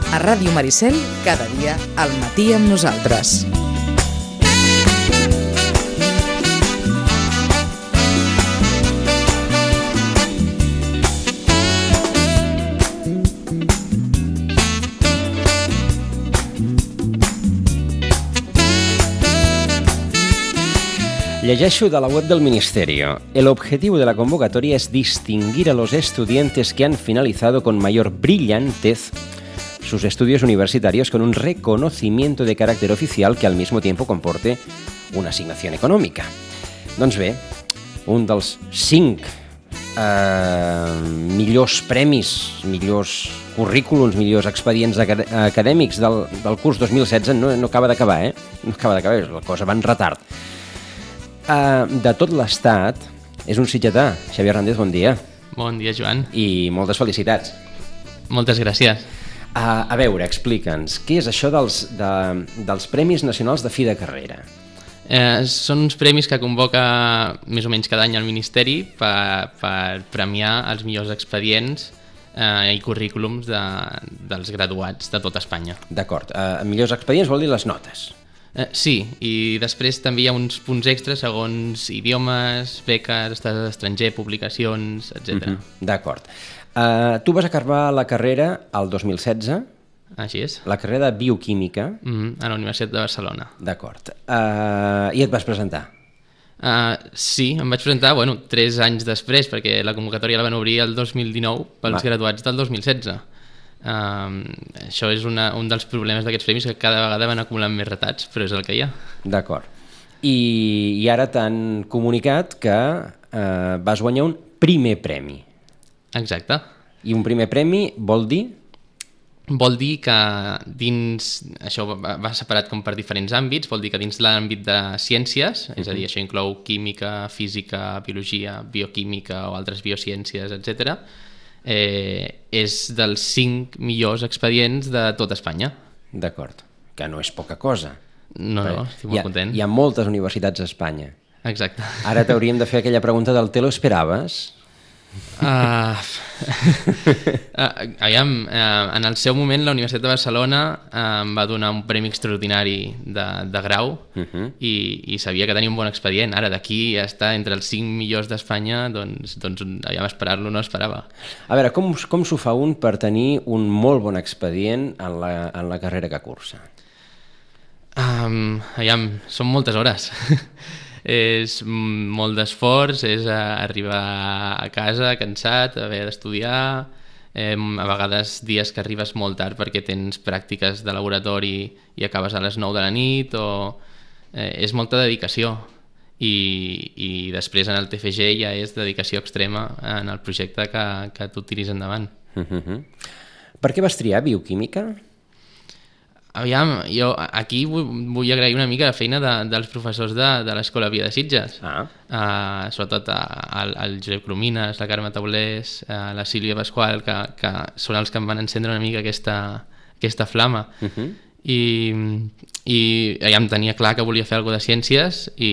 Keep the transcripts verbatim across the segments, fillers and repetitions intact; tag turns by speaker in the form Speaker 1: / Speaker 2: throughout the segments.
Speaker 1: A Ràdio Maricel, cada dia al matí amb nosaltres.
Speaker 2: Llegeixo de la web del Ministerio. El objetivo de la convocatoria es distinguir a los estudiantes que han finalizado con mayor brillantez sus estudios universitarios con un reconocimiento de carácter oficial que al mismo tiempo comporte una assignación econòmica. Doncs bé, un dels cinc eh, millors premis, millors currículums, millors expedients acad acadèmics del, del curs dos mil setze no, no acaba d'acabar, eh? No acaba d'acabar, la cosa va en retard. Uh, de tot l'estat, és un sitgetà. Xavier Hernández, bon dia.
Speaker 3: Bon dia, Joan.
Speaker 2: I moltes felicitats.
Speaker 3: Moltes gràcies.
Speaker 2: Uh, a veure, explica'ns, què és això dels, de, dels Premis Nacionals de Fi de Carrera?
Speaker 3: Eh, són uns premis que convoca més o menys cada any el Ministeri per, per premiar els millors expedients eh, i currículums de, dels graduats de tot Espanya.
Speaker 2: D'acord. Uh, millors expedients vol dir les notes.
Speaker 3: Eh, sí, i després també hi ha uns punts extras segons idiomes, beques, estat estranger, publicacions, etcètera.
Speaker 2: Mm-hmm. D'acord. Uh, tu vas acabar la carrera el dos mil setze.
Speaker 3: Així és.
Speaker 2: La carrera de Bioquímica.
Speaker 3: Mm-hmm, a la Universitat de Barcelona.
Speaker 2: D'acord. Uh, I et vas presentar?
Speaker 3: Uh, sí, em vaig presentar, bueno, tres anys després, perquè la convocatòria la van obrir el dos mil dinou pels Va. graduats del dos mil setze. Uh, això és una, un dels problemes d'aquests premis, que cada vegada van acumulant més retats, però és el que hi ha.
Speaker 2: D'acord. I, i ara t'han comunicat que uh, vas guanyar un primer premi.
Speaker 3: Exacte.
Speaker 2: I un primer premi vol dir?
Speaker 3: Vol dir que dins, això va, va separat com per diferents àmbits, vol dir que dins l'àmbit de ciències, uh-huh. és a dir, això inclou química, física, biologia, bioquímica o altres biociències, etcètera, Eh, és dels cinc millors expedients de tot Espanya.
Speaker 2: D'acord, que no és poca cosa.
Speaker 3: No, no, estic molt
Speaker 2: hi ha,
Speaker 3: content.
Speaker 2: Hi ha moltes universitats a Espanya.
Speaker 3: Exacte.
Speaker 2: Ara t'hauríem de fer aquella pregunta del te lo esperaves?
Speaker 3: Uh, uh, aviam, uh, en el seu moment la Universitat de Barcelona uh, em va donar un premi extraordinari de, de grau uh-huh. i, i sabia que tenia un bon expedient. Ara d'aquí a estar entre els cinc millors d'Espanya, doncs, doncs aviam, esperar-lo no esperava.
Speaker 2: A veure, com, com s'ho fa un per tenir un molt bon expedient en la, en la carrera que cursa?
Speaker 3: Um, aviam, són moltes hores. És molt d'esforç, és arribar a casa cansat, haver d'estudiar, eh, a vegades dies que arribes molt tard perquè tens pràctiques de laboratori i acabes a les nou de la nit, o eh, és molta dedicació. I, i després en el T F G ja és dedicació extrema en el projecte que, que tu tiris endavant.
Speaker 2: Uh-huh. Per què vas triar bioquímica?
Speaker 3: Aviam, jo aquí vull, vull agrair una mica la feina de, dels professors de, de l'Escola Via de Sitges,
Speaker 2: ah.
Speaker 3: uh, sobretot al, al Josep Cromines, la Carme Taulés, uh, la Sílvia Pasqual, que, que són els que em van encendre una mica aquesta, aquesta flama. Uh-huh. I, i ja em tenia clar que volia fer alguna de ciències, i,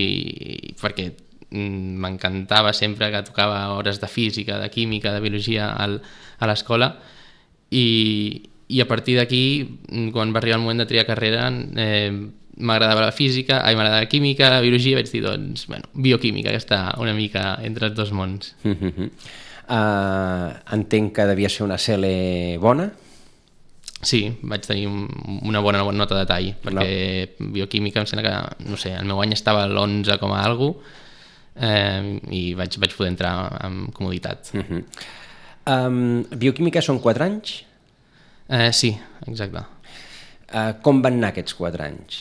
Speaker 3: i perquè m'encantava sempre que tocava hores de física, de química, de biologia al, a l'escola, i i a partir d'aquí, quan va arribar el moment de triar carrera, eh, m'agradava la física, ai, m'agradava la química, la biologia, vaig dir, doncs, bueno, bioquímica, que està una mica entre els dos mons.
Speaker 2: Uh-huh. uh, entenc que devia ser una C L bona?
Speaker 3: Sí, vaig tenir una bona, una bona nota de tall, perquè no. Bioquímica em sembla que, no sé, el meu any estava a l'onze com a algo, eh, i vaig, vaig poder entrar amb comoditat.
Speaker 2: Uh-huh. um, bioquímica són quatre anys?
Speaker 3: Eh, sí, exacte.
Speaker 2: Uh, com van anar aquests quatre anys?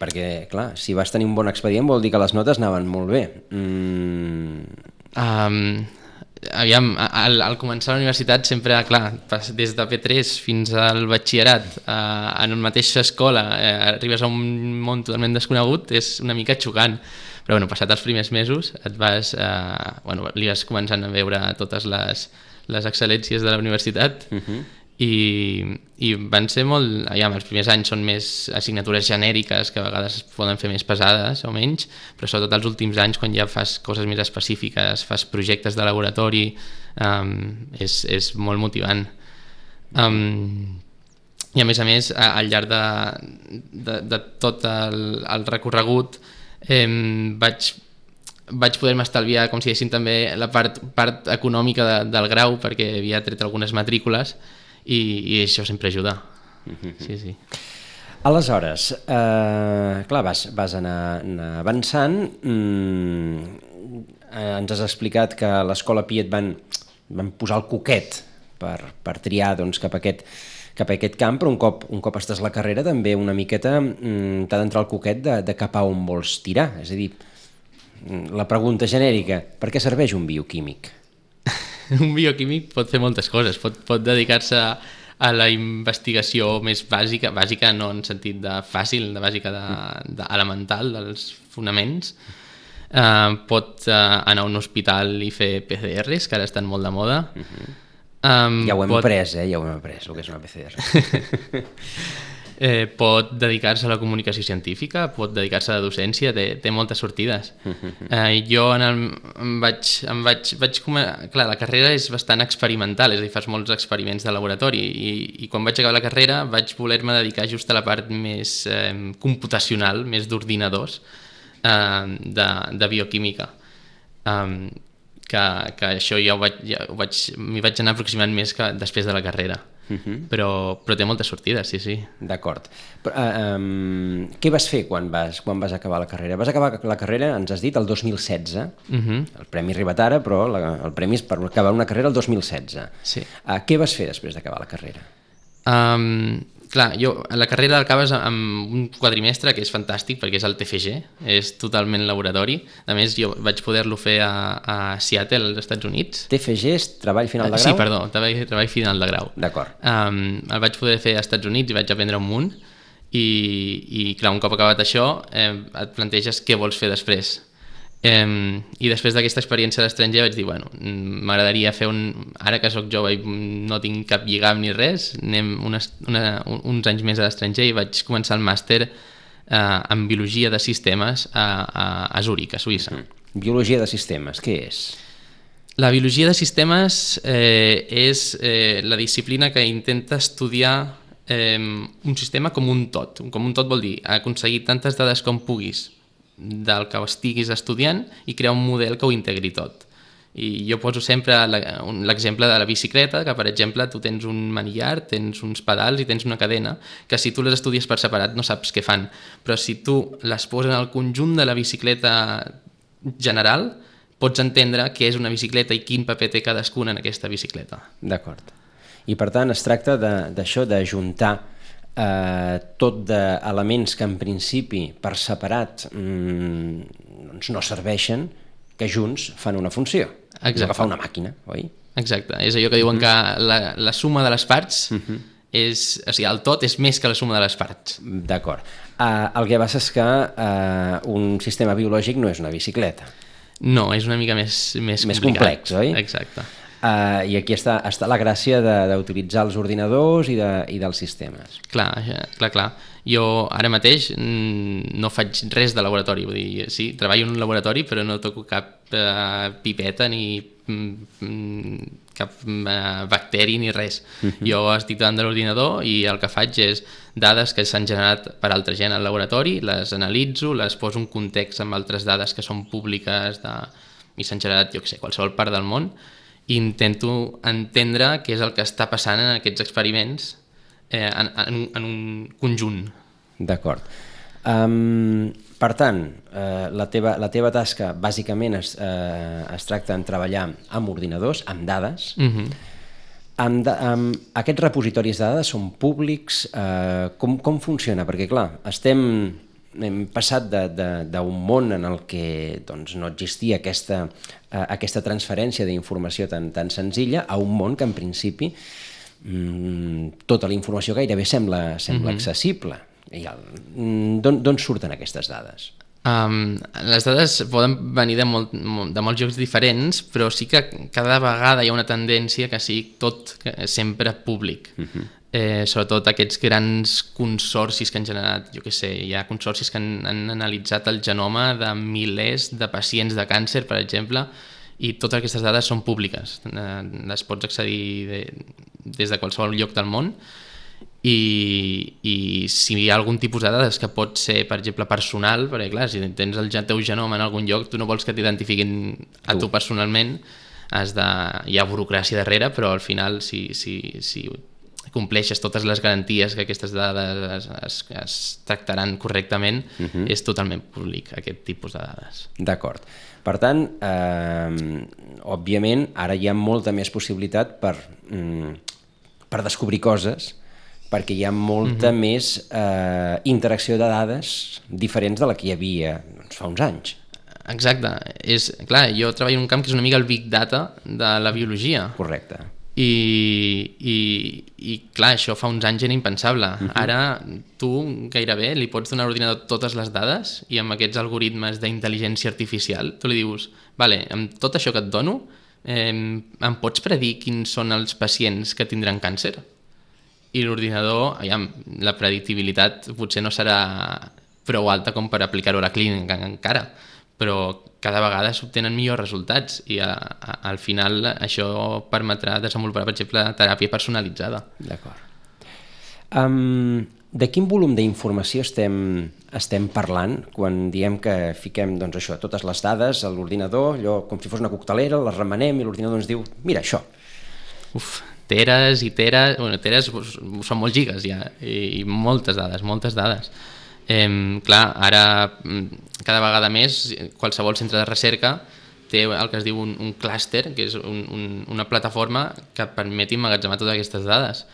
Speaker 2: Perquè, clar, si vas tenir un bon expedient vol dir que les notes anaven molt bé. Mm.
Speaker 3: Um, aviam, al, al començar la universitat sempre, clar, des de P tres fins al batxillerat, uh, en una mateixa escola, uh, arribes a un món totalment desconegut, és una mica xocant. Però, bueno, passat els primers mesos, et vas, uh, bueno, li vas començant a veure totes les, les excel·lències de la universitat, uh-huh. I, i van ser molt... Aviam, els primers anys són més assignatures genèriques que a vegades poden fer més pesades o menys, però sobretot els últims anys, quan ja fas coses més específiques, fas projectes de laboratori, um, és, és molt motivant. Um, I a més a més, al llarg de, de, de tot el, el recorregut eh, vaig, vaig poder-me estalviar, com si diguéssim, també la part, part econòmica de, del grau, perquè havia tret algunes matrícules i, i això sempre ajuda. Sí, sí.
Speaker 2: Aleshores, eh, clar, vas, vas anar, anar avançant, mm, eh, ens has explicat que a l'Escola Pi et van, van posar el coquet per, per triar doncs, cap a aquest cap a aquest camp, però un cop, un cop estàs a la carrera també una miqueta mm, t'ha d'entrar el coquet de, de cap a on vols tirar. És a dir, la pregunta genèrica, per què serveix un bioquímic?
Speaker 3: Un bioquímic pot fer moltes coses, pot, pot dedicar-se a, a la investigació més bàsica, bàsica no en sentit de fàcil, de bàsica de, de elemental, dels fonaments. Uh, pot uh, anar a un hospital i fer P C Rs, que ara estan molt de moda. Uh-huh. Um,
Speaker 2: ja ho hem
Speaker 3: pot...
Speaker 2: après, eh? Ja ho hem après, el que és una P C R.
Speaker 3: eh, pot dedicar-se a la comunicació científica, pot dedicar-se a la docència, té, té moltes sortides. eh, jo en el, em vaig... Em vaig, vaig clar, la carrera és bastant experimental, és a dir, fas molts experiments de laboratori i, i quan vaig acabar la carrera vaig voler-me dedicar just a la part més eh, computacional, més d'ordinadors, eh, de, de bioquímica. Um, Que, que això ja ho vaig, ja ho vaig, m'hi vaig anar aproximant més que després de la carrera. Uh-huh. però, però té moltes sortides, sí, sí.
Speaker 2: D'acord. Uh, um, què vas fer quan vas, quan vas acabar la carrera? Vas acabar la carrera, ens has dit, el dos mil setze. Uh-huh. El premi ha arribat ara, però la, el premi és per acabar una carrera el dos mil setze.
Speaker 3: Sí.
Speaker 2: Uh, què vas fer després d'acabar la carrera?
Speaker 3: Um, clar, jo a la carrera l'acabes amb un quadrimestre que és fantàstic perquè és el T F G, és totalment laboratori. A més, jo vaig poder-lo fer a, a Seattle, als Estats Units.
Speaker 2: T F G és treball final de grau?
Speaker 3: Sí, perdó, treball, treball final de grau.
Speaker 2: D'acord.
Speaker 3: Um, el vaig poder fer als Estats Units i vaig aprendre un munt i, i clar, un cop acabat això eh, et planteges què vols fer després. Um, i després d'aquesta experiència a l'estranger vaig dir, bueno, m'agradaria fer un... Ara que sóc jove i no tinc cap lligam ni res, anem unes, una, uns anys més a l'estranger i vaig començar el màster uh, en Biologia de Sistemes a, a, a Zúrich, a Suïssa.
Speaker 2: Mm. Biologia de Sistemes, què és?
Speaker 3: La Biologia de Sistemes eh, és eh, la disciplina que intenta estudiar eh, un sistema com un tot. Com un tot vol dir aconseguir tantes dades com puguis del que estiguis estudiant i crear un model que ho integri tot. I jo poso sempre l'exemple de la bicicleta, que per exemple tu tens un manillar, tens uns pedals i tens una cadena, que si tu les estudies per separat no saps què fan, però si tu les poses en el conjunt de la bicicleta general, pots entendre què és una bicicleta i quin paper té cadascuna en aquesta bicicleta.
Speaker 2: D'acord. I per tant es tracta d'això, de, d'ajuntar Eh, tot d'elements que en principi per separat mm, doncs no serveixen, que junts fan una funció. Exacte. Que fa una màquina, oi?
Speaker 3: Exacte, és allò que diuen uh-huh. que la, la suma de les parts uh-huh. és, o sigui, el tot és més que la suma de les parts.
Speaker 2: D'acord. Uh, el que passa és que uh, un sistema biològic no és una bicicleta.
Speaker 3: No, és una mica més, més,
Speaker 2: més complex, oi?
Speaker 3: Exacte.
Speaker 2: Uh, I aquí està, està la gràcia d'utilitzar els ordinadors i, de, i dels sistemes.
Speaker 3: Clar, clar, clar. Jo ara mateix no faig res de laboratori, vull dir, sí, treballo en un laboratori però no toco cap uh, pipeta ni mm, cap uh, bacteri ni res. Uh-huh. Jo estic davant de l'ordinador i el que faig és dades que s'han generat per altra gent al laboratori, les analitzo, les poso en context amb altres dades que són públiques de... i s'han generat, jo què sé, qualsevol part del món, i intento entendre què és el que està passant en aquests experiments eh, en, en, en un conjunt.
Speaker 2: D'acord. Um, per tant, eh, la, teva, la teva tasca bàsicament es, eh, es tracta en treballar amb ordinadors, amb dades. Uh-huh. amb, da, amb aquests repositoris de dades són públics? Eh, com, com funciona? Perquè clar, estem... hem passat d'un món en el que doncs, no existia aquesta, uh, aquesta transferència d'informació tan, tan senzilla a un món que en principi mmm, tota la informació gairebé sembla, sembla mm-hmm. accessible. D'on surten aquestes dades?
Speaker 3: Um, les dades poden venir de, molt, de molts llocs diferents, però sí que cada vegada hi ha una tendència que sigui tot sempre públic. Mm-hmm. Eh, sobretot aquests grans consorcis que han generat, jo què sé, hi ha consorcis que han, han analitzat el genoma de milers de pacients de càncer, per exemple, i totes aquestes dades són públiques, eh, les pots accedir de, des de qualsevol lloc del món, i, i si hi ha algun tipus de dades que pot ser, per exemple, personal, perquè clar, si tens el teu genoma en algun lloc, tu no vols que t'identifiquin a tu personalment, has de... hi ha burocràcia darrere, però al final si, si, si compleixes totes les garanties que aquestes dades es, es, es tractaran correctament, uh-huh. és totalment públic aquest tipus de dades.
Speaker 2: D'acord. Per tant, eh, òbviament, ara hi ha molta més possibilitat per, mm, per descobrir coses, perquè hi ha molta uh-huh. més eh, interacció de dades diferents de la que hi havia doncs, fa uns anys.
Speaker 3: Exacte. És, clar, jo treballo en un camp que és una mica el big data de la biologia.
Speaker 2: Correcte.
Speaker 3: I, i, i clar, això fa uns anys era impensable. Uh-huh. Ara tu gairebé li pots donar a l'ordinador totes les dades i amb aquests algoritmes d'intel·ligència artificial tu li dius, vale, amb tot això que et dono, eh, em pots predir quins són els pacients que tindran càncer? I l'ordinador, aviam, la predictibilitat potser no serà prou alta com per aplicar-ho a la clínica encara, però cada vegada s'obtenen millors resultats i a, a, al final això permetrà desenvolupar, per exemple, teràpia personalitzada.
Speaker 2: D'acord. Um, de quin volum d'informació estem, estem parlant quan diem que fiquem doncs, això, totes les dades a l'ordinador, allò com si fos una coctelera, les remenem i l'ordinador ens diu, mira això.
Speaker 3: Uf, teres i teres, bueno, teres són molts gigas ja, i, i moltes dades, moltes dades. Eh, clar, ara cada vegada més qualsevol centre de recerca té el que es diu un, un clúster, que és un, un, una plataforma que permet emmagatzemar totes aquestes dades,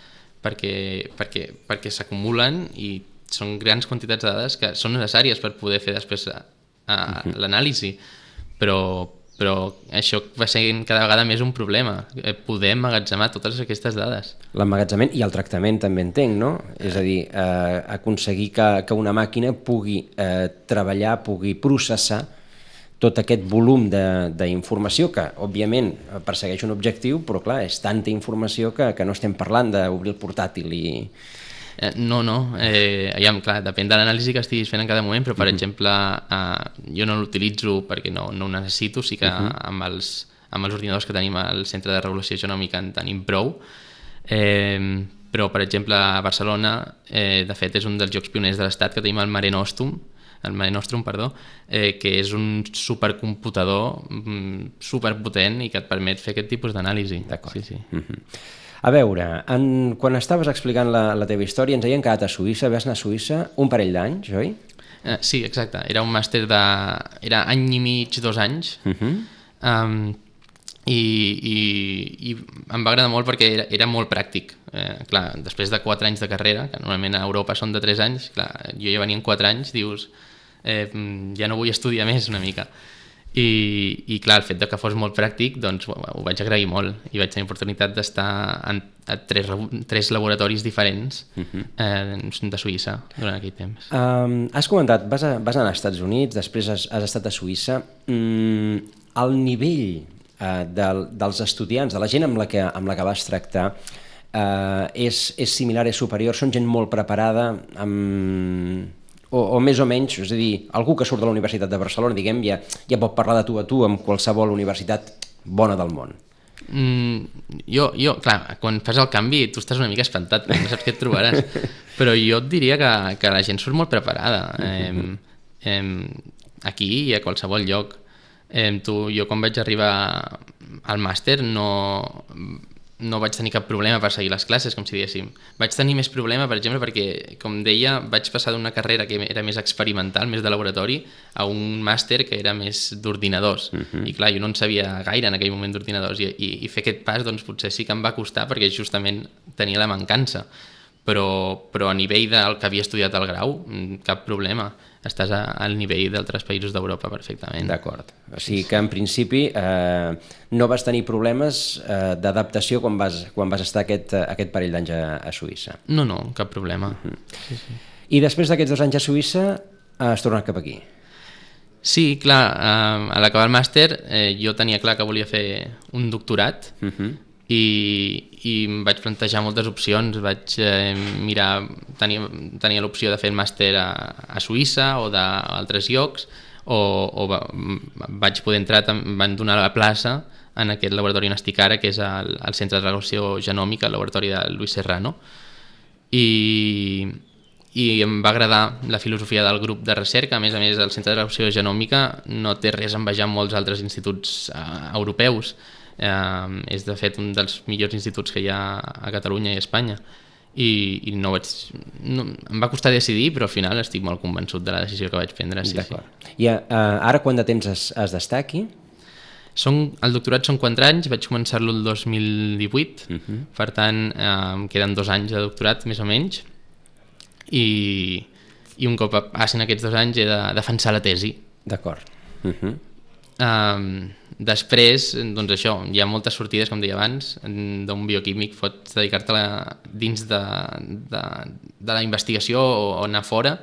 Speaker 3: perquè, perquè, perquè s'acumulen i són grans quantitats de dades que són necessàries per poder fer després a, a, l'anàlisi, però però això va ser cada vegada més un problema, poder emmagatzemar totes aquestes dades.
Speaker 2: L'emmagatzemament i el tractament també entenc, no? És a dir, eh, aconseguir que, que una màquina pugui eh, treballar, pugui processar tot aquest volum d'informació que, òbviament, persegueix un objectiu, però clar, és tanta informació que, que no estem parlant d'obrir el portàtil i...
Speaker 3: Eh, no, no, eh, ja, clar, depèn de l'anàlisi que estiguis fent en cada moment, però per uh-huh. exemple eh, jo no l'utilitzo perquè no, no ho necessito, sí que uh-huh. amb, els, amb els ordinadors que tenim al Centre de Regulació Genòmica en tenim prou, eh, però per exemple a Barcelona, eh, de fet és un dels llocs pioners de l'Estat que tenim el Mare Nostrum, el Mare Nostrum, perdó, eh, que és un supercomputador mm, superpotent i que et permet fer aquest tipus d'anàlisi.
Speaker 2: D'acord.
Speaker 3: Sí, sí.
Speaker 2: Uh-huh. A veure, en, quan estaves explicant la, la teva història ens havíem quedat a Suïssa, vas anar a Suïssa un parell d'anys, oi?
Speaker 3: Uh, sí, exacte. Era un màster de... era any i mig, dos anys, uh-huh. um, i, i, i em va agradar molt perquè era, era molt pràctic. Eh, clar, després de quatre anys de carrera, que normalment a Europa són de tres anys, clar, jo ja venia en quatre anys, dius, eh, ja no vull estudiar més una mica. I, i clar, el fet que fos molt pràctic doncs ho, ho vaig agrair molt i vaig tenir oportunitat d'estar en a tres, tres laboratoris diferents uh-huh. eh, de Suïssa durant aquell temps.
Speaker 2: Um, has comentat, vas, a, vas anar als Estats Units, després has, has estat a Suïssa. Mm, el nivell uh, del, dels estudiants, de la gent amb la que, amb la que vas tractar, uh, és, és similar, és superior? Són gent molt preparada, amb... O, o més o menys, és a dir, algú que surt de la Universitat de Barcelona, diguem, ja, ja pot parlar de tu a tu amb qualsevol universitat bona del món.
Speaker 3: Mm, jo, jo, clar, quan fas el canvi tu estàs una mica espantat, no saps què et trobaràs, però jo et diria que, que la gent surt molt preparada, eh, eh, aquí i a qualsevol lloc. Eh, tu, jo quan vaig arribar al màster no... no vaig tenir cap problema per seguir les classes, com si diguéssim. Vaig tenir més problema, per exemple, perquè, com deia, vaig passar d'una carrera que era més experimental, més de laboratori, a un màster que era més d'ordinadors. Uh-huh. I clar, jo no en sabia gaire en aquell moment d'ordinadors, i, i, i fer aquest pas, doncs, potser sí que em va costar, perquè justament tenia la mancança. Però, però a nivell del que havia estudiat al grau, cap problema. Estàs a, al nivell d'altres països d'Europa perfectament.
Speaker 2: D'acord. O sigui que en principi eh, no vas tenir problemes eh, d'adaptació quan vas, quan vas estar aquest, aquest parell d'anys a, a Suïssa.
Speaker 3: No, no, cap problema.
Speaker 2: Uh-huh. Sí, sí. I després d'aquests dos anys a Suïssa has tornat cap aquí?
Speaker 3: Sí, clar, eh, a l'acabar el màster eh, jo tenia clar que volia fer un doctorat, uh-huh. i, i em vaig plantejar moltes opcions. Vaig eh, mirar, tenia, tenia l'opció de fer el màster a, a Suïssa o d'altres llocs, o, o va, vaig poder entrar, em van donar la plaça en aquest laboratori on estic ara, que és el, el Centre de Regulació Genòmica, el laboratori de Luis Serrano. i, i em va agradar la filosofia del grup de recerca. A més a més, el Centre de Traducció Genòmica no té res a envejar amb molts altres instituts uh, europeus. Uh, és de fet un dels millors instituts que hi ha a Catalunya i a Espanya. I, i no vaig, no, em va costar decidir, però al final estic molt convençut de la decisió que vaig prendre. Sí,
Speaker 2: D'acord. Sí. I uh, ara quant de temps has, has d'estar aquí?
Speaker 3: Són, el doctorat són quatre anys, vaig començar-lo el dos mil divuit, uh-huh. Per tant eh, em queden dos anys de doctorat, més o menys, i, i un cop passin aquests dos anys he de defensar la tesi.
Speaker 2: D'acord. Uh-huh.
Speaker 3: Um, després, doncs això, hi ha moltes sortides, com deia abans, d'un bioquímic pots dedicar-te dins de, de, de la investigació o, o anar fora.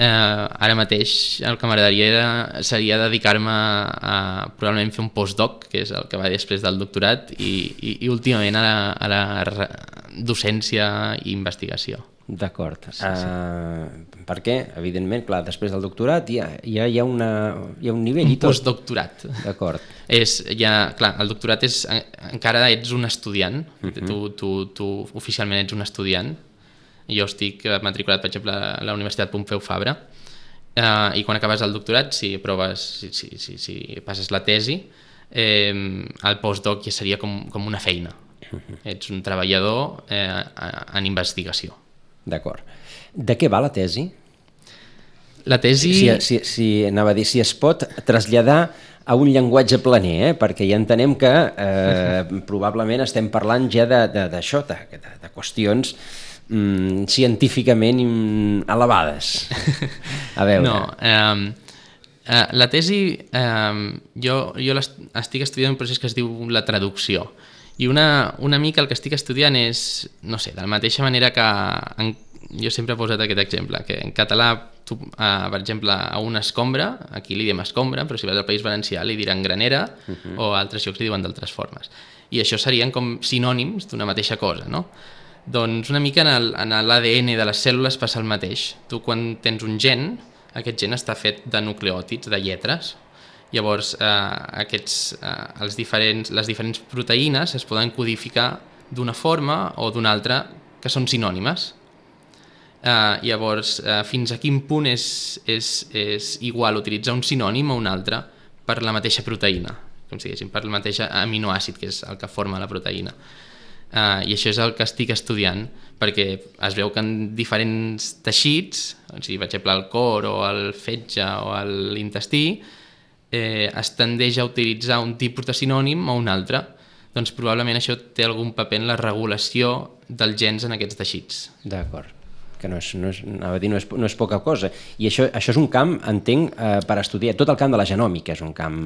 Speaker 3: Uh, ara mateix el que m'agradaria seria dedicar-me a, a probablement fer un postdoc, que és el que va després del doctorat, i, i, i últimament a la, a la docència i investigació.
Speaker 2: D'acord.
Speaker 3: Sí, sí.
Speaker 2: Uh, per què? Evidentment, clar, després del doctorat ja, ja hi, ha una, hi ha un nivell
Speaker 3: un
Speaker 2: i tot.
Speaker 3: Un postdoctorat.
Speaker 2: D'acord.
Speaker 3: És, ja, clar, el doctorat és... Encara ets un estudiant, uh-huh. tu, tu, tu oficialment ets un estudiant. Jo estic matriculat, per exemple, a la Universitat Pompeu Fabra, uh, i quan acabes el doctorat, si proves, si, si, si, si passes la tesi, eh, el postdoc ja seria com, com una feina. Uh-huh. Ets un treballador eh, en investigació.
Speaker 2: D'acord. De què va la tesi?
Speaker 3: La tesi...
Speaker 2: Si, si, si, anava a dir, si es pot traslladar a un llenguatge planer, eh? Perquè ja entenem que eh, probablement estem parlant ja d'això, de, de, de, de qüestions mm, científicament elevades. A veure...
Speaker 3: No, eh, eh, la tesi, eh, jo, jo estic estudiant un procés que es diu la traducció. I una, una mica el que estic estudiant és, no sé, de la mateixa manera que en, jo sempre he posat aquest exemple, que en català, tu, uh, per exemple, a una escombra, aquí li diem escombra, però si vas al País Valencià li diran granera, uh-huh. o a altres llocs li diuen d'altres formes. I això serien com sinònims d'una mateixa cosa, no? Doncs una mica en l'A D N de les cèl·lules passa el mateix. Tu quan tens un gen, aquest gen està fet de nucleòtids, de lletres. Llavors, eh, aquests, eh, els diferents, les diferents proteïnes es poden codificar d'una forma o d'una altra que són sinònimes. Eh, llavors, eh, fins a quin punt és, és, és igual utilitzar un sinònim o un altre per la mateixa proteïna, com si diguéssim, per el mateix aminoàcid, que és el que forma la proteïna. Eh, I això és el que estic estudiant, perquè es veu que en diferents teixits, o sigui, per exemple, el cor o el fetge o l'intestí, Eh, es tendeix a utilitzar un tipus de sinònim o un altre, doncs probablement això té algun paper en la regulació dels gens en aquests teixits.
Speaker 2: D'acord, que no és, no és, anava a dir, no és, no és poca cosa. I això, això és un camp, entenc, eh, per estudiar. Tot el camp de la genòmica és un camp,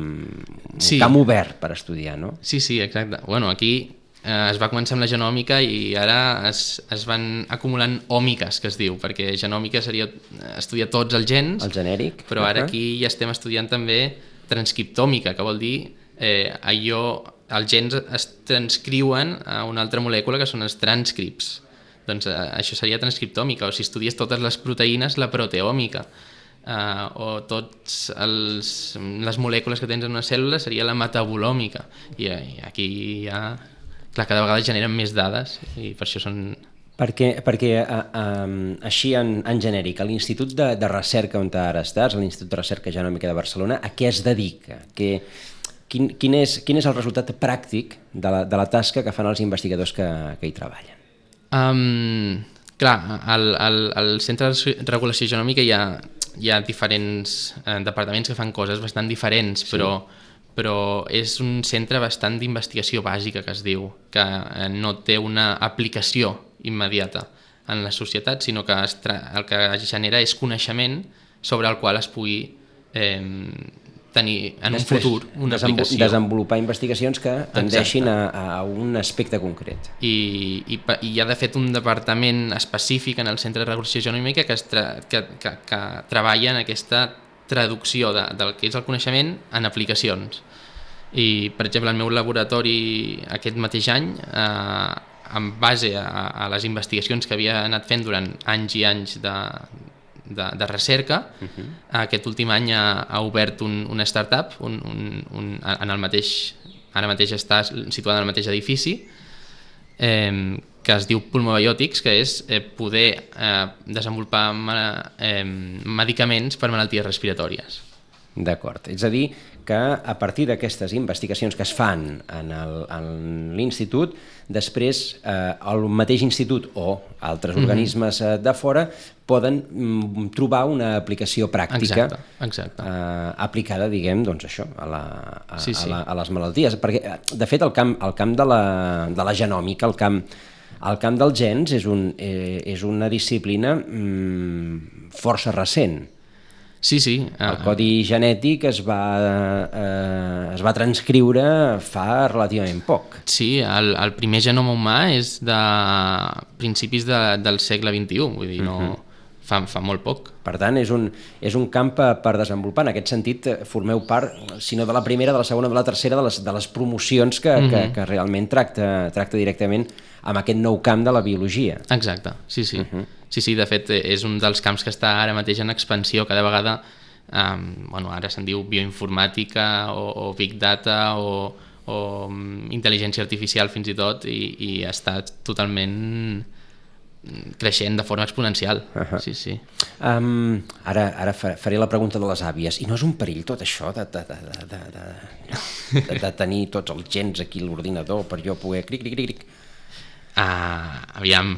Speaker 2: un
Speaker 3: sí.
Speaker 2: camp obert per estudiar, no?
Speaker 3: Sí, sí, exacte. Bueno, aquí eh, es va començar amb la genòmica i ara es, es van acumulant òmiques, que es diu, perquè genòmica seria estudiar tots els gens,
Speaker 2: el genèric,
Speaker 3: però ara aquí ja estem estudiant també transcriptòmica, que vol dir eh, allò, els gens es transcriuen a una altra molècula que són els transcripts. Doncs eh, això seria transcriptòmica, o si estudies totes les proteïnes, la proteòmica, eh, o tots els, les molècules que tens en una cèl·lula seria la metabolòmica. I, i aquí ja, clar, cada vegada generen més dades i per això són...
Speaker 2: Perquè, perquè uh, um, així en, en genèric, a l'Institut de, de Recerca on ara estàs, a l'Institut de Recerca Genòmica de Barcelona, a què es dedica? Que, quin, quin, és, quin és el resultat pràctic de la, de la tasca que fan els investigadors que, que hi treballen?
Speaker 3: Um, clar, al, al, al Centre de Regulació Genòmica hi ha, hi ha diferents eh, departaments que fan coses bastant diferents, sí. però, però és un centre bastant d'investigació bàsica, que es diu, que eh, no té una aplicació immediata en la societat, sinó que es el que genera és coneixement sobre el qual es pugui eh, tenir en
Speaker 2: Després,
Speaker 3: un futur una
Speaker 2: desenvol
Speaker 3: aplicació.
Speaker 2: Desenvolupar investigacions que tendeixin a, a un aspecte concret.
Speaker 3: I, i, i hi ha de fet un departament específic en el Centre de Regulació Genòmica que, es tra que, que, que treballa en aquesta traducció de, del que és el coneixement en aplicacions. I, per exemple, el meu laboratori aquest mateix any, eh, en base a, a les investigacions que havia anat fent durant anys i anys de, de, de recerca, uh-huh. aquest últim any ha, ha obert un, una startup un, un, un, en el mateix, ara mateix està situada en el mateix edifici, eh, que es diu pulmobiòtics, que és eh, poder eh, desenvolupar eh, medicaments per malalties respiratòries.
Speaker 2: D'acord, és a dir, que a partir d'aquestes investigacions que es fan en l'institut, després eh, el mateix institut o altres mm-hmm. organismes eh, de fora poden mm, trobar una aplicació pràctica
Speaker 3: exacte, exacte.
Speaker 2: Eh, aplicada, diguem, doncs això, a, la, a,
Speaker 3: sí, sí.
Speaker 2: a, la, a les malalties. Perquè, de fet, el camp, el camp de, la, de la genòmica, el camp, el camp dels gens és, un, eh, és una disciplina mm, força recent.
Speaker 3: Sí, sí.
Speaker 2: El codi genètic es va, eh, es va transcriure fa relativament poc.
Speaker 3: Sí, el, el primer genoma humà és de principis de, del segle vint-i-u, vull dir, no, uh-huh. fa, fa molt poc.
Speaker 2: Per tant, és un, és un camp per desenvolupar. En aquest sentit, formeu part, si no de la primera, de la segona, de la tercera, de les, de les promocions que, uh-huh. que, que realment tracta, tracta directament amb aquest nou camp de la biologia.
Speaker 3: Exacte, sí, sí.
Speaker 2: Uh-huh.
Speaker 3: Sí, sí, de fet, és un dels camps que està ara mateix en expansió. Cada vegada, um, bueno, ara se'n diu bioinformàtica o, o big data o, o um, intel·ligència artificial fins i tot, i, i està totalment creixent de forma exponencial. Uh-huh. Sí, sí.
Speaker 2: Um, ara ara faré la pregunta de les àvies. I no és un perill tot això de, de, de, de, de, de, de, de tenir tots els gens aquí a l'ordinador per jo poder cric, cric, cric, cric?
Speaker 3: Ah, aviam.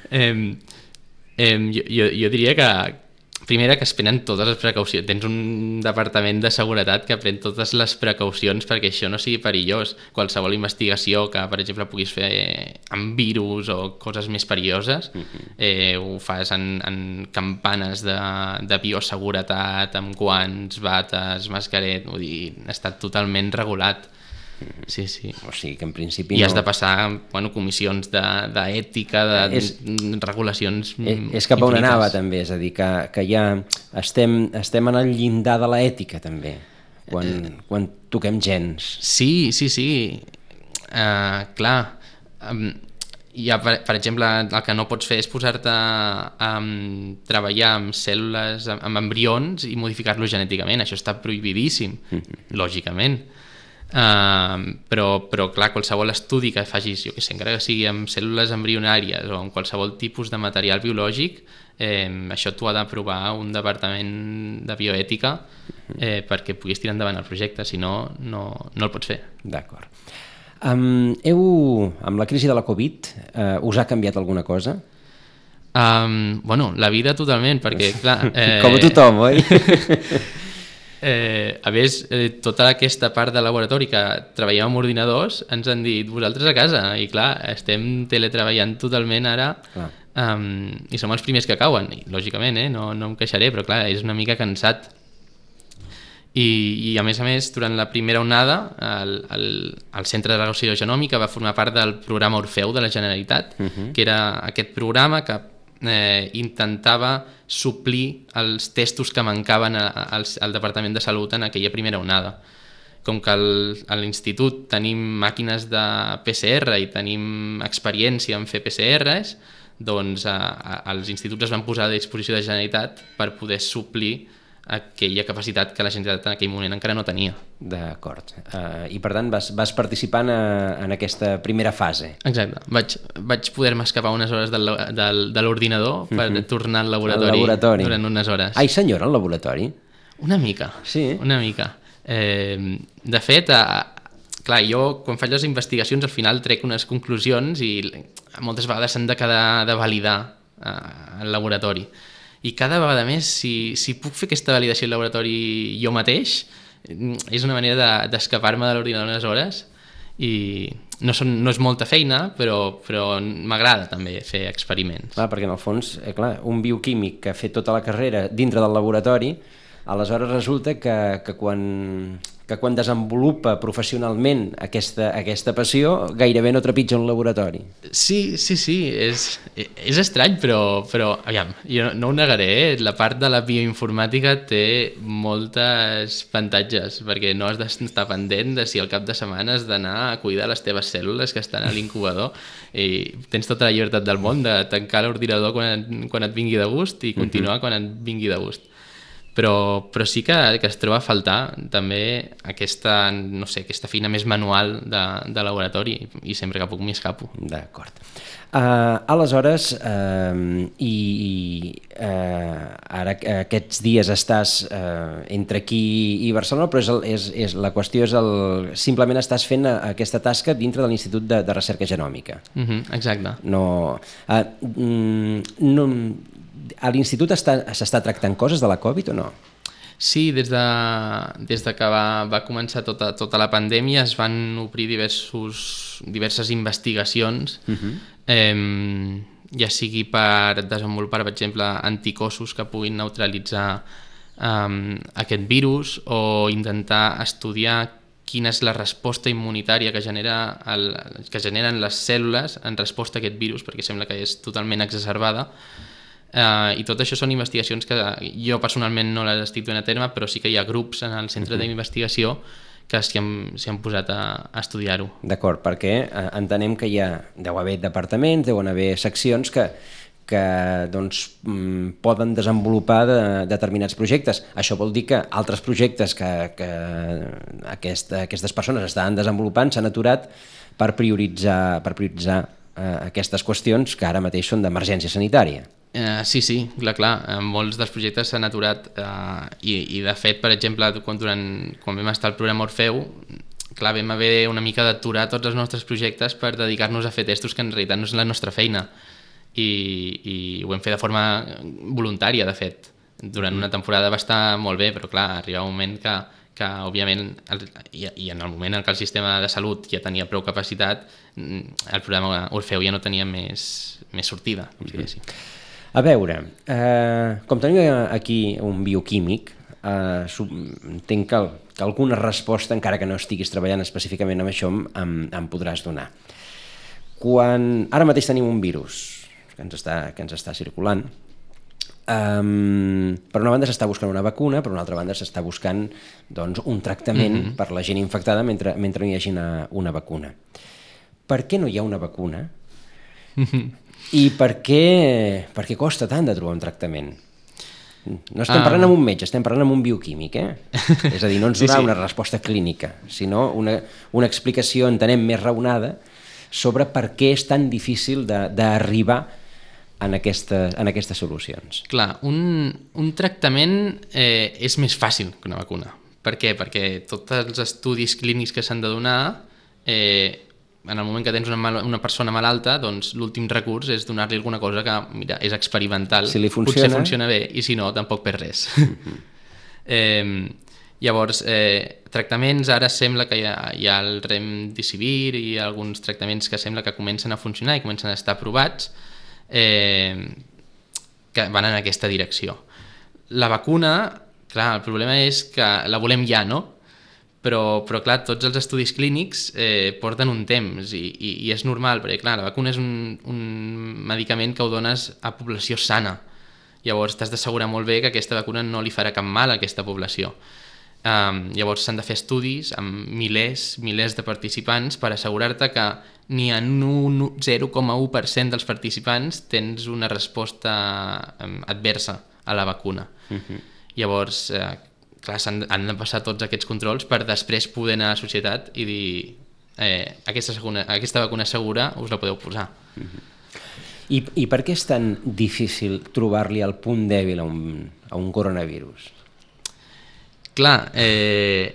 Speaker 3: eh, eh, jo, jo diria que primera que es prenen totes les precaucions. Tens un departament de seguretat que pren totes les precaucions perquè això no sigui perillós. Qualsevol investigació que, per exemple, puguis fer amb virus o coses més perilloses, eh, ho fas en, en campanes de, de bioseguretat, amb guants, bates, mascaret, vull dir, està totalment regulat. Sí, sí.
Speaker 2: O sigui que en principi
Speaker 3: I
Speaker 2: no...
Speaker 3: has de passar, bueno, comissions d'ètica, de, de, és, de regulacions
Speaker 2: és, és cap a on anava també, és a dir, que, que ja estem, estem en el llindar de l'ètica també, quan, eh, quan toquem gens.
Speaker 3: Sí, sí, sí. Uh, clar, um, ja, per, per exemple, el que no pots fer és posar-te a um, treballar amb cèl·lules, amb embrions i modificar-los genèticament. Això està prohibidíssim, mm-hmm. lògicament. Uh, però, però clar, qualsevol estudi que facis, jo que sé, encara que sigui amb cèl·lules embrionàries o amb qualsevol tipus de material biològic, eh, això t'ho ha d'aprovar un departament de bioètica eh, perquè puguis tirar endavant el projecte, si no, no, no el pots fer.
Speaker 2: D'acord. Um, heu, amb la crisi de la Covid, uh, us ha canviat alguna cosa?
Speaker 3: Um, bueno, la vida totalment, perquè clar...
Speaker 2: Eh... Com a tothom, oi?
Speaker 3: Eh, a més, eh, tota aquesta part de laboratori que treballem amb ordinadors ens han dit vosaltres a casa, i clar, estem teletreballant totalment ara, um, i som els primers que cauen, i lògicament, eh, no, no em queixaré, però clar, és una mica cansat. I, i a més a més, durant la primera onada, el, el, el Centre de Regulació Genòmica va formar part del programa Orfeu de la Generalitat, uh-huh. que era aquest programa que Eh, intentava suplir els testos que mancaven a, a, al, al Departament de Salut en aquella primera onada. Com que el, a l'institut tenim màquines de P C R i tenim experiència en fer P C Rs, doncs a, a, els instituts es van posar a disposició de la Generalitat per poder suplir aquella capacitat que la Generalitat en aquell moment encara no tenia.
Speaker 2: D'acord. Uh, I per tant vas, vas participar en, en aquesta primera fase.
Speaker 3: Exacte. Vaig, vaig poder-me escapar unes hores del, del, de l'ordinador per uh-huh. tornar al laboratori, al laboratori durant unes hores.
Speaker 2: Ai, senyora, al laboratori?
Speaker 3: Una mica.
Speaker 2: Sí?
Speaker 3: Una mica. Eh, de fet, a, clar, jo quan faig les investigacions al final trec unes conclusions i moltes vegades s'han de quedar de validar eh, al laboratori. I cada vegada més, si, si puc fer aquesta validació al laboratori jo mateix, és una manera d'escapar-me de, de l'ordinador unes hores, i no, són, no és molta feina, però, però m'agrada també fer experiments.
Speaker 2: Clar, perquè en el fons, eh, clar, un bioquímic que ha fet tota la carrera dintre del laboratori, aleshores resulta que, que quan... que quan desenvolupa professionalment aquesta, aquesta passió gairebé no trepitja un laboratori.
Speaker 3: Sí, sí, sí, és, és estrany, però, però aviam, jo no ho negaré, eh? La part de la bioinformàtica té moltes avantatges, perquè no has d'estar pendent de si al cap de setmana has d'anar a cuidar les teves cèl·lules que estan a l'incubador, i tens tota la llibertat del món de tancar l'ordinador quan, quan et vingui de gust i continuar uh-huh. quan et vingui de gust. però, però sí que, que es troba a faltar també aquesta, no sé, aquesta feina més manual de, de laboratori i sempre que puc m'hi escapo.
Speaker 2: D'acord. Uh, aleshores, uh, i, i uh, ara aquests dies estàs uh, entre aquí i Barcelona, però és, el, és, és, la qüestió és el, simplement estàs fent aquesta tasca dintre de l'Institut de, de Recerca Genòmica.
Speaker 3: Uh-huh, exacte.
Speaker 2: No, uh, no, a l'institut s'està tractant coses de la Covid o no?
Speaker 3: Sí, des de, des de que va, va començar tota, tota la pandèmia es van obrir diversos, diverses investigacions, uh-huh. eh, ja sigui per desenvolupar, per exemple, anticossos que puguin neutralitzar eh, aquest virus o intentar estudiar quina és la resposta immunitària que, genera el, que generen les cèl·lules en resposta a aquest virus, perquè sembla que és totalment exacerbada. Uh, i tot això són investigacions que jo personalment no les estic duent a terme, però sí que hi ha grups en el centre uh-huh. d'investigació que s'hi han, s'hi han posat a, a estudiar-ho. D'acord, perquè eh, entenem que hi ha, deu haver departaments, deuen haver seccions que, que doncs, mm, poden desenvolupar de, determinats projectes. Això vol dir que altres projectes que, que aquesta, aquestes persones estaven desenvolupant s'han aturat per prioritzar, per prioritzar eh, aquestes qüestions que ara mateix són d'emergència sanitària. Uh, sí, sí, clar, clar. Uh, molts dels projectes s'han aturat uh, i, i de fet, per exemple, quan, durant, quan vam estar al programa Orfeu, clar, vam haver una mica d'aturar tots els nostres projectes per dedicar-nos a fer testos que en realitat no és la nostra feina i, i ho vam fer de forma voluntària, de fet. Durant una temporada va estar molt bé, però clar, arriba un moment que, que òbviament, el, i, i en el moment en què el sistema de salut ja tenia prou capacitat, el programa Orfeu ja no tenia més, més sortida, com si diguéssim. A veure, eh, com tenim aquí un bioquímic, eh, entenc que, que alguna resposta, encara que no estiguis treballant específicament amb això, em, em podràs donar. Quan ara mateix tenim un virus que ens està, que ens està circulant, um, per una banda s'està buscant una vacuna, per una altra banda s'està buscant doncs, un tractament mm-hmm. per la gent infectada mentre, mentre no hi hagi una, una vacuna. Per què no hi ha una vacuna? Mm-hmm. I per què, per què costa tant de trobar un tractament? No estem parlant amb un metge, estem parlant amb un bioquímic, eh? És a dir, no ens donarà sí, sí. una resposta clínica, sinó una, una explicació, entenem, més raonada sobre per què és tan difícil d'arribar en, aquesta, en aquestes solucions. Clar, un, un tractament eh, és més fàcil que una vacuna. Per què? Perquè tots els estudis clínics que s'han de donar... Eh, en el moment que tens una, mal, una persona malalta, doncs l'últim recurs és donar-li alguna cosa que, mira, és experimental, si li funciona... potser funciona bé, i si no, tampoc per res. Mm-hmm. eh, llavors, eh, tractaments, ara sembla que hi ha, hi ha el remdesivir i alguns tractaments que sembla que comencen a funcionar i comencen a estar aprovats, eh, que van en aquesta direcció. La vacuna, clar, el problema és que la volem ja, no? Però, però clar, tots els estudis clínics eh, porten un temps i, i, i és normal, perquè clar, la vacuna és un, un medicament que ho dones a població sana. Llavors t'has d'assegurar molt bé que aquesta vacuna no li farà cap mal a aquesta població. Um, llavors s'han de fer estudis amb milers, milers de participants per assegurar-te que ni en un zero coma u per cent dels participants tens una resposta um, adversa a la vacuna. Uh-huh. Llavors... Eh, clar, han, han de passar tots aquests controls per després poder anar a la societat i dir eh, aquesta, seguna, aquesta vacuna segura us la podeu posar. Mm-hmm. I, I per què és tan difícil trobar-li el punt dèbil a un, a un coronavirus? Clar, eh,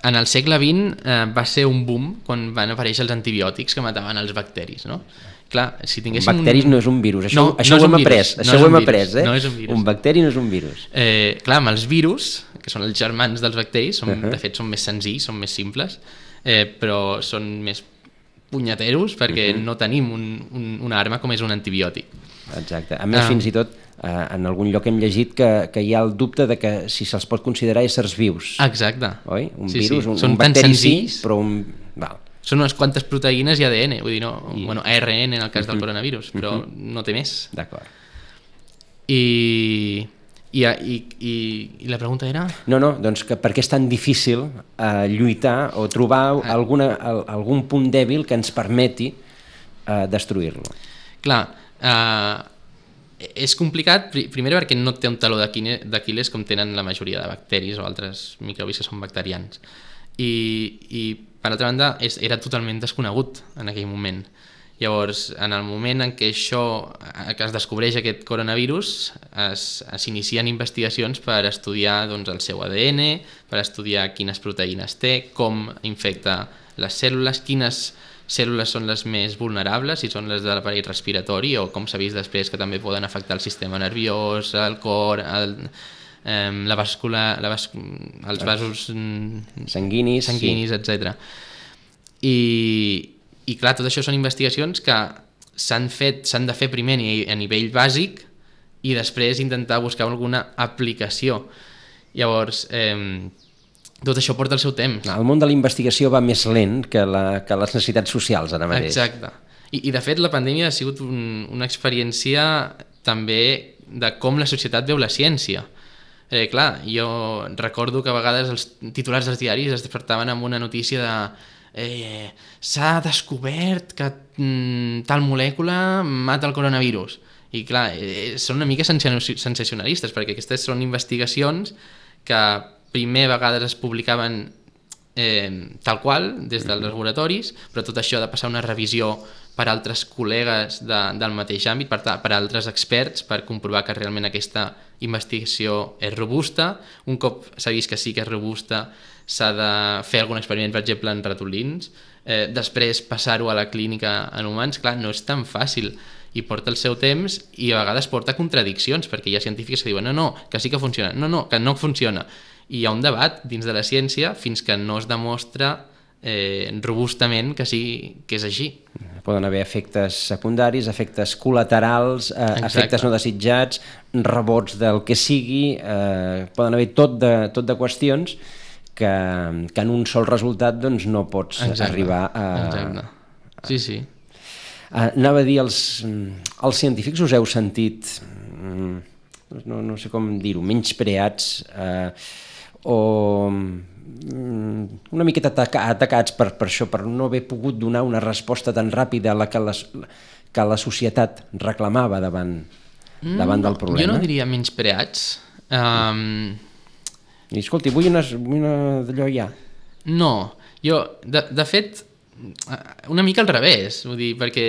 Speaker 3: en el segle vint eh, va ser un boom quan van aparèixer els antibiòtics que mataven els bacteris, no? Clar, si tinguéssim... Bacteris un... no és un virus, això, no, això no ho hem après, això no ho hem après, eh? No és un virus. Un bacteri no és un virus. Eh, clar, amb els virus, que són els germans dels bacteris, són, uh-huh. de fet són més senzills, són més simples, eh, però són més punyeteros perquè uh-huh. no tenim un, un, una arma com és un antibiòtic. Exacte. A més, ah. fins i tot, eh, en algun lloc hem llegit que, que hi ha el dubte de que si se'ls pot considerar éssers vius. Exacte. Oi? Un sí, virus, sí. un, un bacteri sí, però un... Val. Són unes quantes proteïnes i A D N, vull dir, no, I... bueno, A R N en el cas uh-huh. del coronavirus, però uh-huh. no té més. D'acord. I... I, i, i, I la pregunta era? No, no, doncs que per què és tan difícil eh, lluitar o trobar ah. alguna, algun punt dèbil que ens permeti eh, destruir-lo? Clar, eh, és complicat, primer perquè no té un taló d'Aquil·les com tenen la majoria de bacteris o altres microbis que són bacterians. I, i per altra banda, és, era totalment desconegut en aquell moment. Llavors, en el moment en què això, que es descobreix aquest coronavirus, s'inicien investigacions per estudiar doncs, el seu A D N, per estudiar quines proteïnes té, com infecta les cèl·lules, quines cèl·lules són les més vulnerables, si són les de l'aparell respiratori o com s'ha vist després que també poden afectar el sistema nerviós, el cor, el, eh, la bàscula, la bas... els vasos
Speaker 2: sanguinis,
Speaker 3: sanguinis
Speaker 2: sí.
Speaker 3: etcètera. I, I clar, tot això són investigacions que s'han fet, s'han de fer primer a nivell bàsic i després intentar buscar alguna aplicació. Llavors, eh, tot això porta el seu temps.
Speaker 2: El món de la investigació va més lent que, la, que les necessitats socials ara mateix.
Speaker 3: Exacte. I, i de fet la pandèmia ha sigut un, una experiència també de com la societat veu la ciència. Eh, clar, jo recordo que a vegades els titulars dels diaris es despertaven amb una notícia de eh, s'ha descobert que mm, tal molècula mata el coronavirus. I clar, eh, són una mica sensacionalistes perquè aquestes són investigacions que primer vegades es publicaven eh, tal qual, des dels laboratoris, però tot això ha de passar una revisió per altres col·legues de, del mateix àmbit, per, per altres experts, per comprovar que realment aquesta investigació és robusta. Un cop s'ha vist que sí que és robusta, s'ha de fer algun experiment, per exemple, en ratolins, eh, després passar-ho a la clínica en humans. Clar, no és tan fàcil i porta el seu temps i a vegades porta contradiccions, perquè hi ha científics que diuen no, no, que sí que funciona, no, no, que no funciona. I hi ha un debat dins de la ciència fins que no es demostra eh, robustament que sí que és així.
Speaker 2: Poden haver efectes secundaris, efectes col·laterals, eh, efectes no desitjats, rebots del que sigui, eh, poden haver tot de, tot de qüestions que, que en un sol resultat doncs, no pots Exacte. arribar a...
Speaker 3: Exacte. Sí, sí.
Speaker 2: Uh, anava a dir, els, els científics us heu sentit, no, no sé com dir-ho, menyspreats eh, o una miqueta ataca, atacats per, per això, per no haver pogut donar una resposta tan ràpida a la que, les, que la societat reclamava davant, mm, davant del problema?
Speaker 3: Jo no diria menyspreats. Um...
Speaker 2: I escolti, vull una, una d'allò ja.
Speaker 3: No, jo, de, de fet, una mica al revés, vull dir, perquè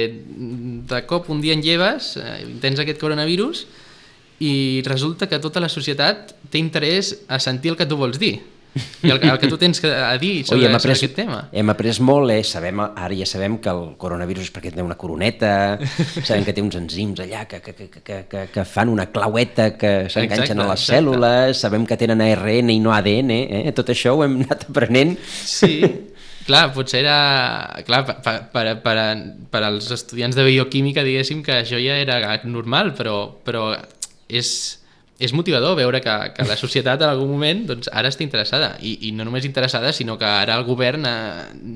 Speaker 3: de cop un dia en lleves, tens aquest coronavirus i resulta que tota la societat té interès a sentir el que tu vols dir i el, el que tu tens a dir sobre, Oi, sobre aquest tema.
Speaker 2: Hem après molt, eh? sabem, ara ja sabem que el coronavirus és perquè té una coroneta, sabem que té uns enzims allà que, que, que, que, que, que fan una claueta que s'enganxen a les exacte. cèl·lules, sabem que tenen A R N i no A D N, eh? tot això ho hem anat aprenent.
Speaker 3: Sí, clar, potser era... Clar, per, per, per, per als estudiants de bioquímica diguéssim que això ja era normal, però, però és, és motivador veure que, que la societat en algun moment doncs, ara està interessada, I, i no només interessada, sinó que ara el govern eh,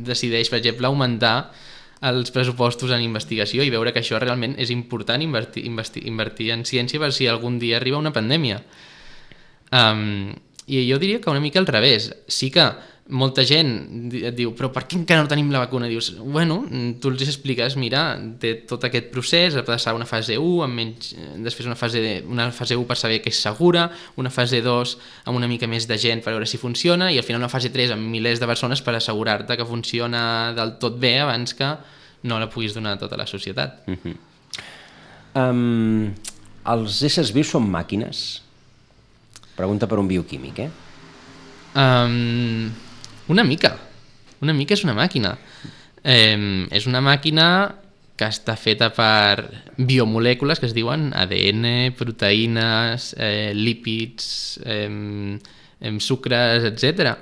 Speaker 3: decideix, per exemple, augmentar els pressupostos en investigació i veure que això realment és important invertir, invertir, invertir en ciència per si algun dia arriba una pandèmia. Um, I jo diria que una mica al revés. Sí que molta gent et diu, però per què encara no tenim la vacuna? Dius, bueno, tu els expliques, mira, té tot aquest procés, ha de passar una fase u, amb menys, després una fase, de, una fase u per saber que és segura, una fase dos amb una mica més de gent per veure si funciona, i al final una fase tres amb milers de persones per assegurar-te que funciona del tot bé abans que no la puguis donar a tota la societat.
Speaker 2: Uh-huh. um, els éssers vius són màquines? Pregunta per un bioquímic, eh?
Speaker 3: Um, una mica. Una mica és una màquina. Eh, és una màquina que està feta per biomolècules que es diuen A D N, proteïnes, eh, lípids, eh, eh, sucres, etcètera.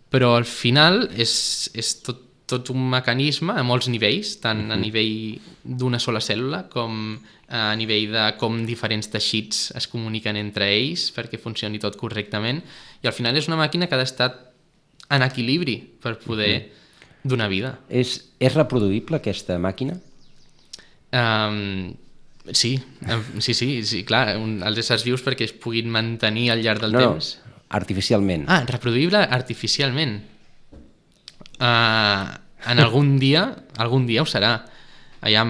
Speaker 3: Però al final és, és tot, tot un mecanisme a molts nivells, tant a nivell d'una sola cèl·lula com a nivell de com diferents teixits es comuniquen entre ells perquè funcioni tot correctament, i al final és una màquina que ha d'estar en equilibri per poder uh-huh. donar vida.
Speaker 2: És, és reproduïble aquesta màquina?
Speaker 3: Um, sí, sí, sí, sí, clar, un, els éssers vius perquè es puguin mantenir al llarg del
Speaker 2: no,
Speaker 3: temps.
Speaker 2: No, artificialment.
Speaker 3: Ah, reproduïble artificialment. Uh, en algun dia, algun dia ho serà. Allà,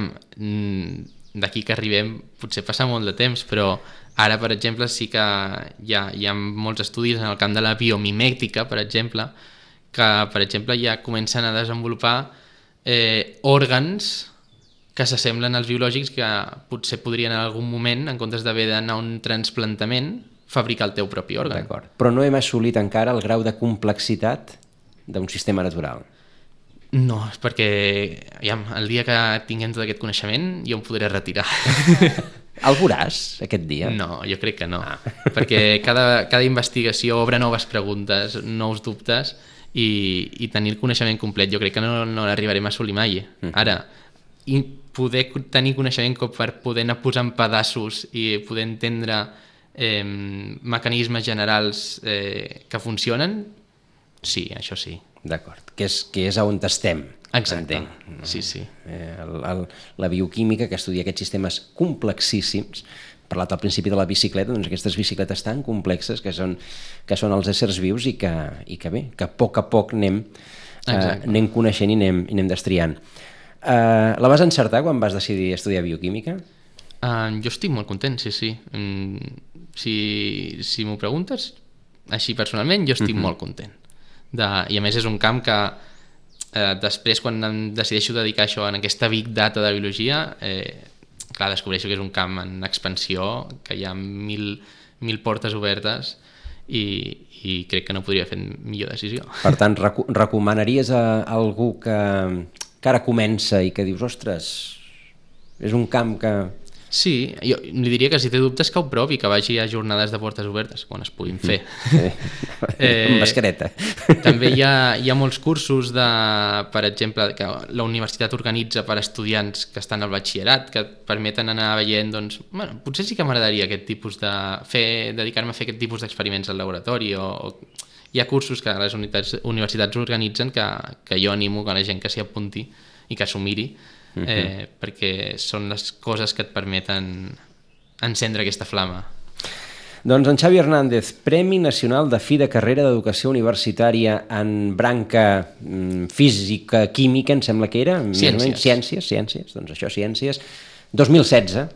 Speaker 3: d'aquí que arribem potser passa molt de temps, però ara, per exemple, sí que hi ha, hi ha molts estudis en el camp de la biomimètica, per exemple, que, per exemple, ja comencen a desenvolupar eh, òrgans que s'assemblen als biològics, que potser podrien en algun moment, en comptes d'haver d'anar a un trasplantament, fabricar el teu propi òrgan.
Speaker 2: D'acord. Però no hem assolit encara el grau de complexitat d'un sistema natural.
Speaker 3: No, és perquè aviam, el dia que tinguem tot aquest coneixement jo em podré retirar.
Speaker 2: El veuràs aquest dia?
Speaker 3: No, jo crec que no, ah. perquè cada, cada investigació obre noves preguntes, nous dubtes, i, i tenir el coneixement complet jo crec que no, no l'arribarem a assolir mai. Uh-huh. Ara, i poder tenir coneixement com per poder anar posant pedaços i poder entendre eh, mecanismes generals eh, que funcionen, sí, això sí.
Speaker 2: D'acord, que és, que és on estem.
Speaker 3: Exacte, entenc. Sí, sí.
Speaker 2: Eh, el, el, la bioquímica, que estudia aquests sistemes complexíssims, parlat al principi de la bicicleta, doncs aquestes bicicletes tan complexes que són, que són els éssers vius i que, i que bé, que a poc a poc anem, eh, anem coneixent i anem, i anem destriant. Eh, la vas encertar quan vas decidir estudiar bioquímica?
Speaker 3: Uh, jo estic molt content, sí, sí. Mm, si si m'ho preguntes, així personalment, jo estic uh-huh. molt content. De, i a més és un camp que eh, després quan em decideixo dedicar això en aquesta big data de biologia, eh, clar, descobreixo que és un camp en expansió, que hi ha mil, mil portes obertes i, i crec que no podria fer millor decisió.
Speaker 2: Per tant, reco recomanaries a algú que, que ara comença i que dius, ostres, és un camp que...
Speaker 3: Sí, jo li diria que si té dubtes que ho provi, que vagi a jornades de portes obertes quan es puguin fer.
Speaker 2: Sí. eh, amb mascareta.
Speaker 3: També hi ha, hi ha molts cursos de, per exemple, que la universitat organitza per estudiants que estan al batxillerat, que et permeten anar veient, doncs, bueno, potser sí que m'agradaria aquest tipus de fer, dedicar-me a fer aquest tipus d'experiments al laboratori, o, o hi ha cursos que les unitats, universitats organitzen que, que jo animo que la gent que s'hi apunti i que s'ho miri, eh, uh-huh. perquè són les coses que et permeten encendre aquesta flama.
Speaker 2: Doncs en Xavi Hernández, Premi Nacional de Fi de Carrera d'Educació Universitària en branca mm, física, química, em sembla que era.
Speaker 3: Ciències.
Speaker 2: Ciències, ciències, doncs això, ciències. dos mil setze,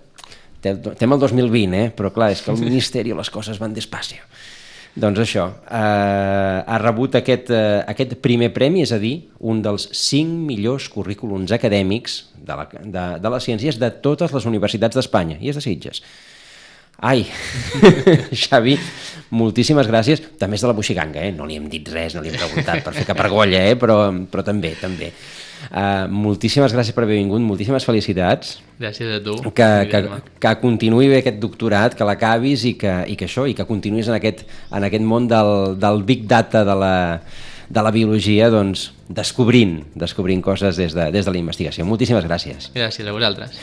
Speaker 2: estem al dos mil vint, eh? Però clar, és que al Ministeri les coses van despacio. Doncs això, eh, ha rebut aquest, eh, aquest primer premi, és a dir, un dels cinc millors currículums acadèmics de, la, de, de les ciències de totes les universitats d'Espanya, i és de Sitges. Ai, Xavi, moltíssimes gràcies. També és de la Buixiganga, eh? No li hem dit res, no li hem preguntat per fer cap argolla, eh? però, però també, també. Uh, moltíssimes gràcies per haver vingut, moltíssimes felicitats.
Speaker 3: Gràcies a tu.
Speaker 2: Que, que, que continuï bé aquest doctorat, que l'acabis i, que, i que això, i que continuïs en aquest, en aquest món del, del big data de la, de la biologia, doncs, descobrint, descobrint coses des de, des de la investigació. Moltíssimes gràcies.
Speaker 3: Gràcies a vosaltres.